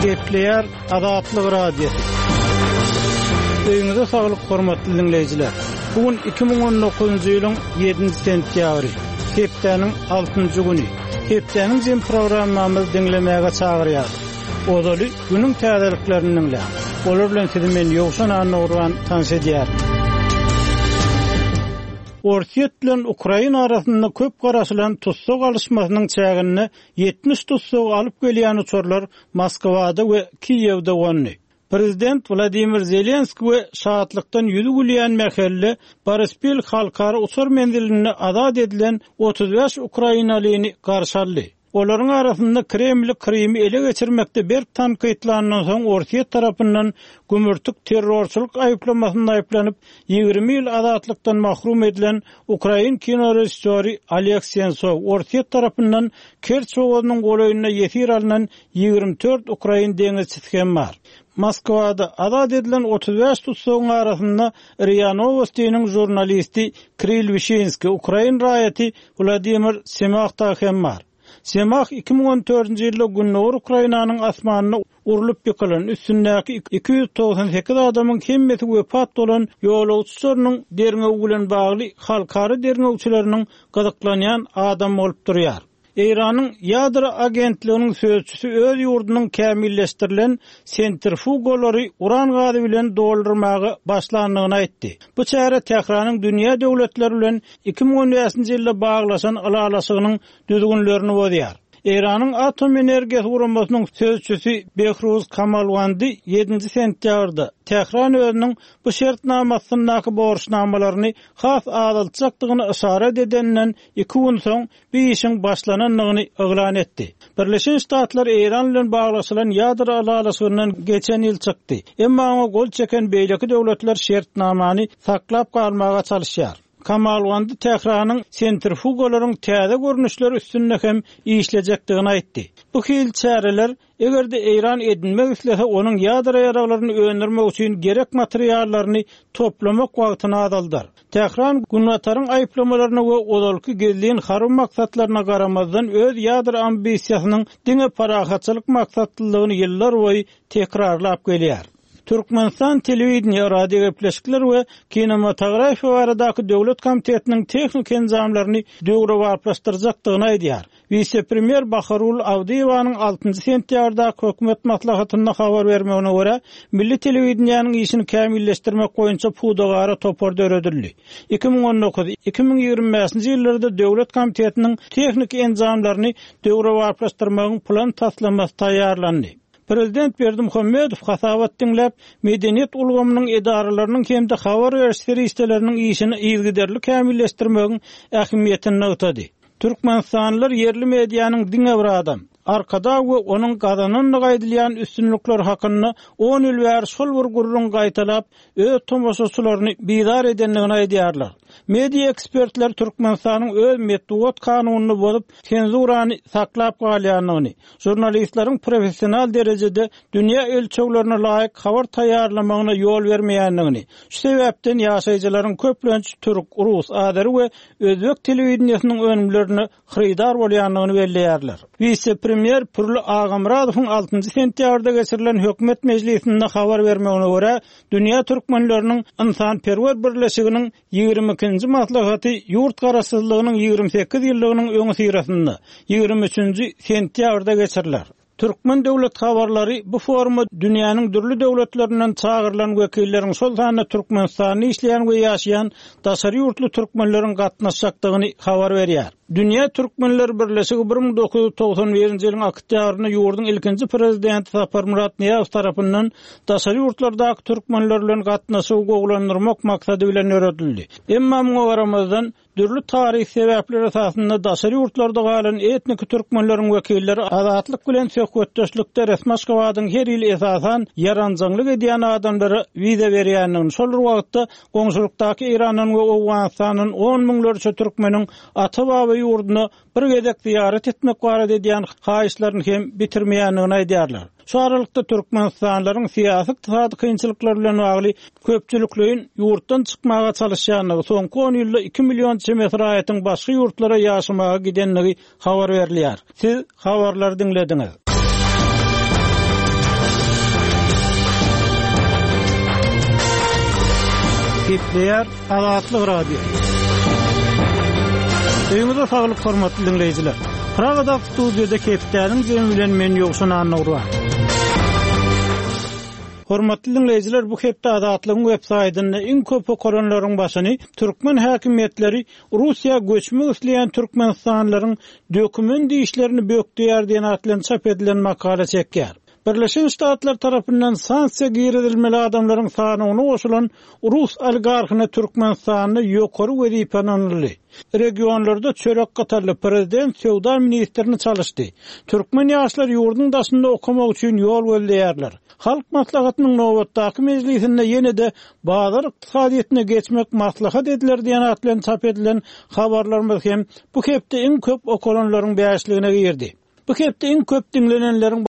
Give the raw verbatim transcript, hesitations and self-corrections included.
Gepleýär Azatlyk Radiosy. Öýüňize saglyk hormatly dinleýjiler. Bu gün iki müň on dokuzynjy ýylyň ýedinji sentýabry, hepdäniň altynjy güni. Hepdäniň jem programmamyzy diňlemäge çagyrýarys. Ozaly günüň täzeliklerini diňläň. Olar bilen sizi men Ýowşan Annagurban tanyş edýärim. Orsýet bilen Ukraina arasynda köp garaşylan tussag alyşmasynyň çäginde ýetmiş tussag alyp gelýän uçarlar Moskwada we Kiýewde gondy. Prezident Wladimir Zelenski we şatlykdan ýüzi gülýän mähelle Boryspil halkara uçar menzilinde azat edilen otuz bäş ukrainalyny garşy aldy. Olaryň arasynda Kremli Krymy ele geçirmekde berk tankytlandan soň Orsýet tarapyndan gümürtik terrorçylyk aýyplamasynda aýyplanyp, ýigrimi ýyl azatlykdan mahrum edilen ukrain kino režissýory Oleg Sentsov Orsýet tarapyndan Kerç bogazynyň golaýynda ýesir alynan ýigrimi dört ukrain deňizçisi hem bar. Moskwada azat edilen otuz bäş tutsagyň arasynda R I A Novostiniň žurnalisti Kirill Wişinski, ukrain raýaty Wladimir Semah da hem bar. Semah iki müň on dördünji ýylda Gündogar Ukrainanyň asmanyna urlup ýykylan üstündäki iki ýüz togsan sekiz adamyň hemmesi wepat bolan ýolagçylarynyň derňewi bilen bagly halkara derňewçileriniň gyzyklanýan adam bolup durýar. Eýranyň ýadro agentliginiň sözçüsi öz ýurdunyň kämilleşdirilen sentrifugalary uran gazy bilen doldurmaga başlandygyny aýtdy. Bu çäre Tähranyň dünýä döwletleri bilen iki müň on bäşinji ýylda baglaşan ylalaşygynyň düzgünlerini bozýar. Eýranyň atom energiýasy guramasynyň sözçüsi Behruz Kamalwandi ýedinji sentýabrda Tähran özüniň bu şertnamasyndaky borçnamalaryny has azaltjakdygyny işaret edenden iki gün soň bu işiň başlanandygyny yglan etdi. Birleşen Ştatlar Eýran bilen baglaşylan ýadro ylalaşygyndan geçen ýyl çykdy. Emma oňa gol çeken beýleki döwletler şertnamany saklap galmaga çalışýar. Kamalwandi Tähranyň sentrifugalaryň täze görnüşleri üstünde hem işlejekdigini aýtdy. Bu hil çäreler eger de Eýran edinmek islese onuň ýadro ýaraglaryny öndürmek üçin gerek materiallaryny toplamak wagtyny azaldar. Tähran Günbataryň aýyplamalaryna we ozalky gizlin harby maksatlaryna garamazdan öz ýadro ambisiýasynyň diňe parahatçylyk maksatlylygyny ýyllar boýy tekrarlap gelýär. Türkmenistan telewideniýe, radio gepleşikler we kinematografiýa baradaky döwlet komitetiniň tehnik enjamlaryny döwrebaplaşdyrjakdygyny aýdýar. Wise-premýer Baharul Awdyýewanyň altynjy sentýabrdaky hökümet maslahatynda habar bermegine görä, milli telewideniýäniň işini kämilleşdirmek boýunça pudagara topar döredildi. iki müň on dokuz, iki müň ýigrimi bäşinji ýyllarda döwlet komitetiniň tehnik enjamlaryny döwrebaplaşdyrmagyň plan taslamasy taýýarlandy. Prezident Berdimuhamedow hasabat diňläp, medeniýet ulgamynyň edaralarynyň hem-de habar beriş serişdeleriniň işini yzygiderli kämilleşdirmegiň ähmiýetini nygtady. Türkmenistanlylar ýerli medianyň diňe bir adam, Arkadag we onuň gazanandygy aýdylýan üstünlikler hakynda on ýyl bäri şol bir gürrüň gaýtalap, öz tomaşaçylaryny bizar edendigini aýdýarlar. Media ekspertler Türkmenistanyň öz metbugat kanunyny bozup, senzurany saklap galýandygyny, žurnalistleriň professional derejede dünýä ölçeglerine laýyk habar taýýarlamagyna ýol bermeýändigini, şu sebäpden ýaşaýjylaryň köplenç türk, rus, azeri we özbek telewideniýesiniň önümlerine hyrydar bolýandygyny belleýärler. Wise-premýer Pürli Agamyradowyň altynjy sentýabrda geçirilen hökümet mejlisinde habar bermegine görä, dünýä türkmenleriniň ynsanperwer birleşiginiň ýigrimi ikinji maslahaty ýurt garaşsyzlygynyň ýigrimi sekiz ýyllygynyň öňi syrasynda ýigrimi üçünji sentýabrda geçiriler. Türkmen döwlet habarlary bu foruma dünýäniň dürli döwletlerinden çagyrylan wekilleriň şol sanda Türkmenistanda işleýän we ýaşaýan daşary ýurtly türkmenleriň gatnaşjakdygyny habar berýär. Dünýä Türkmenler Birleşigi bir müň dokuz ýüz togsan birinji ýylyň oktýabrynda ýurduň ilkinji prezidenti Saparmyrat Nyýazow tarapyndan daşary ýurtlardaky türkmenler bilen gatnaşygy gowulandyrmak maksady bilen döredildi. Emma muňa garamazdan dürli taryh sebäpleri esasynda daşary ýurtlarda galan etnik türkmenleriň wekilleri azatlyk bilen söhbetdeşlikde resmi Aşgabadyň her ýyl esasan ýaranjaňlyk edýän adamlara wiza berýändigini, şol bir wagtda goňşulykdaky Eýrandan we Owganystandan on müňlerçe türkmeniň ata-baba ýurduna bir gezek ziýaret etmek barada edýän haýyşlaryny hem bitirmeýändigini aýdýarlar. Şu aralykda Türkmenistanlylaryň syýasy ykdysady kynçylyklar bilen bagly köpçülikleýin ýurtdan çykmaga çalışýandygy, soňky on ýylda iki million çemesi raýatyň başga ýurtlara ýaşamaga gidendigi habar berilýär. Siz habarlary diňlediňiz. Gepleýär Azatlyk Radiosy. Öýüňize saglyk hormatly diňleýjiler. Pragada studiýada hepdäniň jemi bilen men Ýowşan Annagurban. Hormatly diňleýjiler, bu hepde Azatlygyň web saýtynda iň köp okalanlaryň başyny türkmen häkimiýetleri Russiýa göçmek isleýän türkmenistanlylaryň dokument işlerini bökdeýär diýen at bilen çap edilen makala çekýär. Birleşen Ştatlar tarapyndan sanksiýa girizilmeli adamlaryň sanawyna goşulan rus oligarhyna Türkmenistanda ýokary wezipe ynanyldy. Regionlarda çörek gytaldy, prezident söwda ministrini çalyşdy. Türkmen ýaşlary ýurduň daşynda okamak üçin ýol gözleýärler. Halk Maslahatynyň nobatdaky mejlisinde ýene-de bazar ykdysadyýetine geçmek maslahat ediler diýen at bilen çap edilen habarlarymyz hem bu hepde iň köp okalanlaryň bäşligine girdi. Bu hepde iň köp diňlenenleriň